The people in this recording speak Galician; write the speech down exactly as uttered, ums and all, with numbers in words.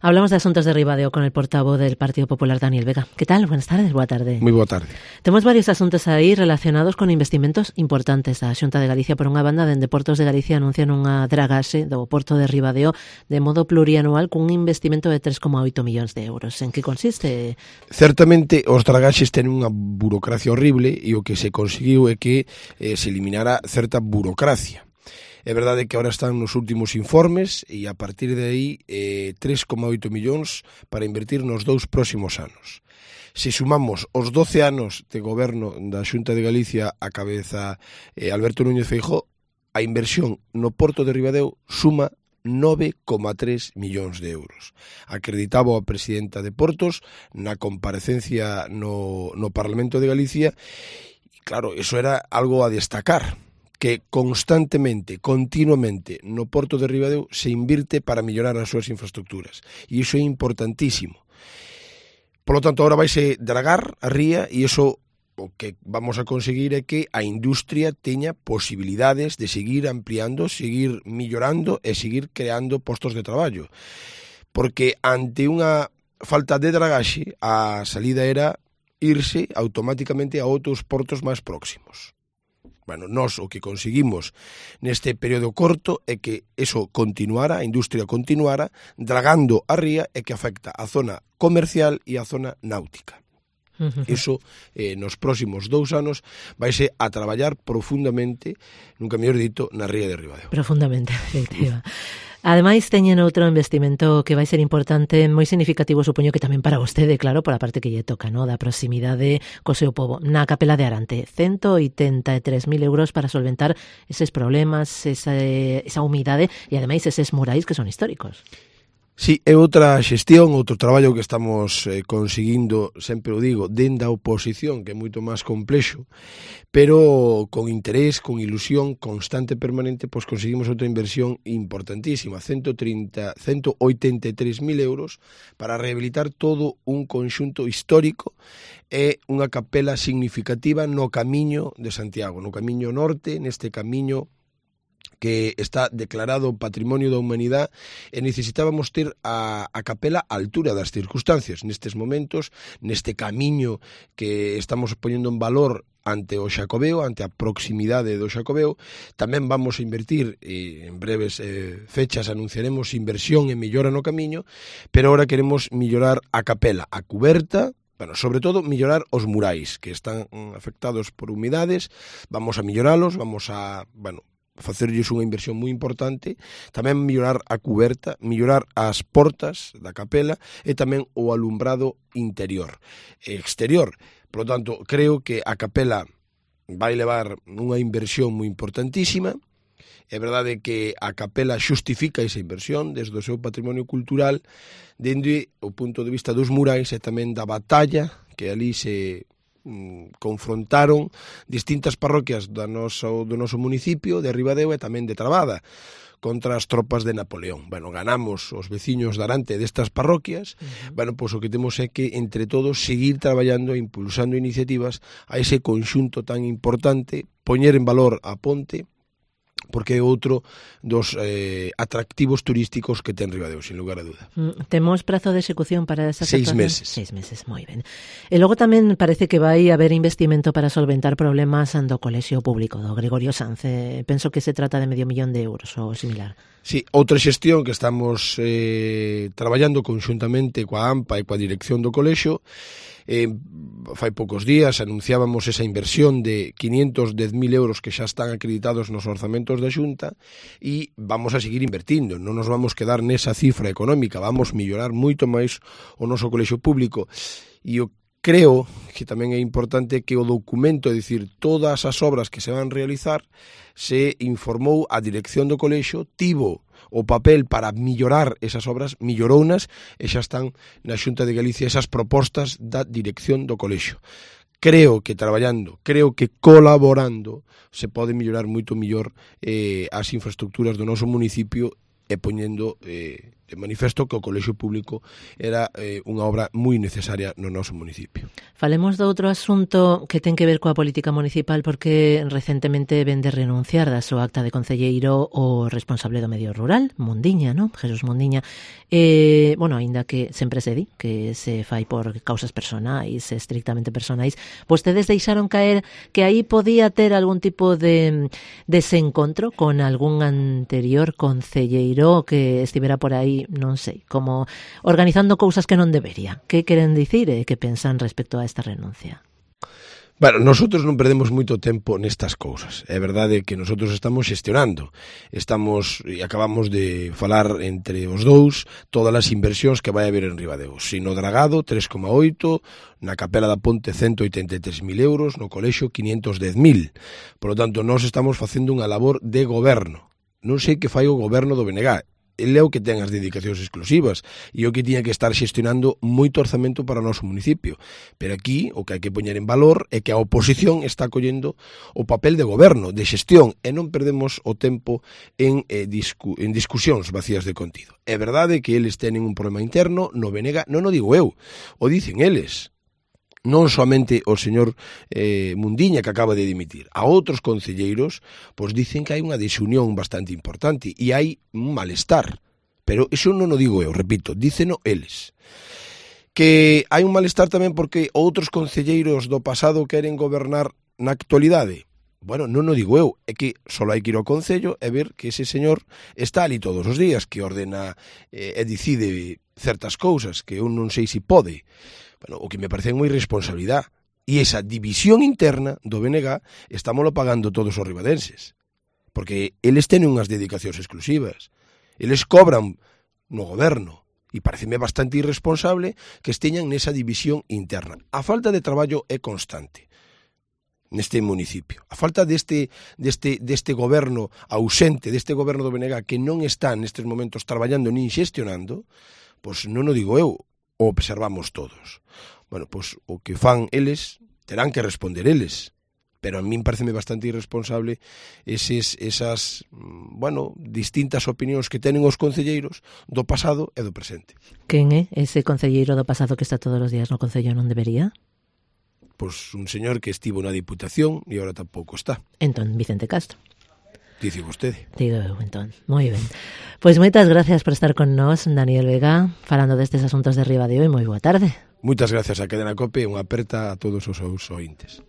Hablamos de asuntos de Ribadeo con el portavoz del Partido Popular, Daniel Vega. ¿Qué tal? Buenas tardes, boa tarde. Moi boa tarde. Temos varios asuntos aí relacionados con investimentos importantes da Xunta de Galicia. Por unha banda, dende Portos de Galicia anuncian unha dragaxe do Porto de Ribadeo de modo plurianual cun investimento de tres coma oito millóns de euros. En que consiste? Certamente os dragaxes ten unha burocracia horrible e o que se conseguiu é que eh, se eliminara certa burocracia. É verdade que agora están nos últimos informes e a partir de aí eh, tres coma oito millóns para invertir nos dous próximos anos. Se sumamos os doce anos de goberno da Xunta de Galicia a cabeza eh, Alberto Núñez Feijóo, a inversión no Porto de Ribadeo suma nove coma tres millóns de euros. Acreditaba a presidenta de Portos na comparecencia no, no Parlamento de Galicia e claro, eso era algo a destacar, que constantemente, continuamente, no Porto de Ribadeo se invirte para mellorar as súas infraestructuras. E iso é importantísimo. Por lo tanto, agora vaise dragar a ría e iso o que vamos a conseguir é que a industria teña posibilidades de seguir ampliando, seguir millorando e seguir creando postos de traballo. Porque ante unha falta de dragaxe, a salida era irse automáticamente a outros portos máis próximos. Bueno, nós o que conseguimos neste período corto é que eso continuara, a industria continuara, dragando a ría e que afecta a zona comercial e a zona náutica. Uh-huh. Iso, eh, nos próximos dous anos, vaise a traballar profundamente, nunca mellor dito, na ría de Ribadeo. Profundamente, efectiva. Ademais, teñen outro investimento que vai ser importante, moi significativo, supoño que tamén para vostede, claro, por a parte que lle toca, no, da proximidade co seu pobo. Na Capela de Arante, ciento oitenta e tres mil euros para solventar eses problemas, esa, esa humidade e, ademais, eses murais que son históricos. Sí, é outra xestión, outro traballo que estamos eh, conseguindo, sempre o digo, dende a oposición, que é moito máis complexo, pero con interés, con ilusión constante e permanente, pois conseguimos outra inversión importantísima, ciento trinta, ciento oitenta e tres mil euros para rehabilitar todo un conxunto histórico e unha capela significativa no camiño de Santiago, no camiño norte, neste camiño que está declarado Patrimonio da Humanidade e necesitábamos ter a, a capela á altura das circunstancias. Nestes momentos, neste camiño que estamos poñendo en valor ante o Xacobeo, ante a proximidade do Xacobeo, tamén vamos a invertir, e en breves eh, fechas anunciaremos inversión e mellora no camiño, pero ahora queremos mellorar a capela, a cuberta, bueno, sobre todo mellorar os murais que están afectados por humidades, vamos a melloralos, vamos a, bueno, facerlles unha inversión moi importante, tamén mellorar a cuberta, mellorar as portas da capela e tamén o alumbrado interior e exterior. Por lo tanto, creo que a capela vai levar unha inversión moi importantísima. É verdade que a capela xustifica esa inversión desde o seu patrimonio cultural, dende o punto de vista dos murais e tamén da batalla que ali se confrontaron distintas parroquias do noso, do noso municipio de Ribadeo e tamén de Trabada contra as tropas de Napoleón. Bueno, ganamos os veciños de Arante destas parroquias. Uh-huh. Bueno, pois o que temos é que entre todos seguir traballando e impulsando iniciativas a ese conxunto tan importante, poñer en valor a ponte, porque é outro dos eh, atractivos turísticos que ten Ribadeo, sin lugar a duda. Mm, temos prazo de execución para esa Seis meses. Seis meses, moi ben. E logo tamén parece que vai haber investimento para solventar problemas do colexio público, do Gregorio Sanz. Eh, penso que se trata de medio millón de euros ou similar. Sí, outra xestión que estamos eh, traballando conxuntamente coa AMPA e coa dirección do colexio. Eh, fai poucos días anunciábamos esa inversión de quinientos dez mil euros que xa están acreditados nos orzamentos da Xunta e vamos a seguir invertindo, non nos vamos quedar nesa cifra económica, vamos mellorar moito máis o noso colexio público e o creo que tamén é importante que o documento, é dicir, todas as obras que se van realizar, se informou a dirección do colexio, tivo o papel para mellorar esas obras, mellorounas, e xa están na Xunta de Galicia esas propostas da dirección do colexio. Creo que traballando, creo que colaborando, se pode mellorar moito mellor eh, as infraestructuras do noso municipio e poñendo eh, de manifesto que o colexio público era eh, unha obra moi necesaria no noso municipio. Falemos de outro asunto que ten que ver coa política municipal, porque recentemente ven de renunciar da súa acta de concelleiro o responsable do medio rural, Mundiña, ¿no? Jesús Mundiña. Eh, bueno, aínda que sempre se di que se fai por causas personais, estrictamente personais, vostedes deixaron caer que aí podía ter algún tipo de desencontro con algún anterior concelleiro que estivera por aí, non sei, como organizando cousas que non debería. Que queren dicir e que pensan respecto a esta renuncia? Bueno, nosotros non perdemos moito tempo nestas cousas. É verdade que nosotros estamos xestionando. Estamos, e acabamos de falar entre os dous, todas as inversións que vai haber en Ribadeo. Sino Dragado, tres coma oito, na Capela da Ponte, ciento oitenta e tres mil euros, no colexio, quinientos dez mil. Por lo tanto, nós estamos facendo unha labor de goberno. Non sei que fai o goberno do B N G. Ele é o que ten as dedicacións exclusivas e o que tiña que estar xestionando moito orzamento para o noso municipio. Pero aquí o que hai que poñer en valor é que a oposición está collendo o papel de goberno, de xestión, e non perdemos o tempo en, eh, discu en discusións vacías de contido. É verdade que eles teñen un problema interno, no B N G, non o digo eu, o dicen eles. Non somente o señor eh, Mundiña, que acaba de dimitir, a outros concelleiros, pois dicen que hai unha desunión bastante importante e hai un malestar. Pero iso non o digo eu, repito, díceno eles. Que hai un malestar tamén porque outros concelleiros do pasado queren gobernar na actualidade. Bueno, non o digo eu, é que só hai que ir ao concello e ver que ese señor está ali todos os días, que ordena eh, e decide certas cousas que eu non sei se pode. Bueno, o que me parece moi responsabilidade. E esa división interna do B N G estámoslo pagando todos os ribadenses. Porque eles teñen unhas dedicacións exclusivas. Eles cobran no goberno. E pareceme bastante irresponsable que esteñan nesa división interna. A falta de traballo é constante neste municipio. A falta deste, deste, deste goberno ausente, deste goberno do B N G que non está nestes momentos traballando nin xestionando, pois non o digo eu, o observamos todos. Bueno, pois o que fan eles terán que responder eles, pero a min pareceme bastante irresponsable eses, esas, bueno, distintas opinións que tenen os concelleiros do pasado e do presente. Quen é ese concelleiro do pasado que está todos os días no concello non debería? Pois un señor que estivo na Diputación e agora tampouco está. Entón, Vicente Castro. Dice vostede. Digo eu, entón. Moi ben. Pois moitas gracias por estar con nós, Daniel Vega, falando destes asuntos de Ribadeo, e moi boa tarde. Moitas gracias a Cadena COPE e unha aperta a todos os seus ointes.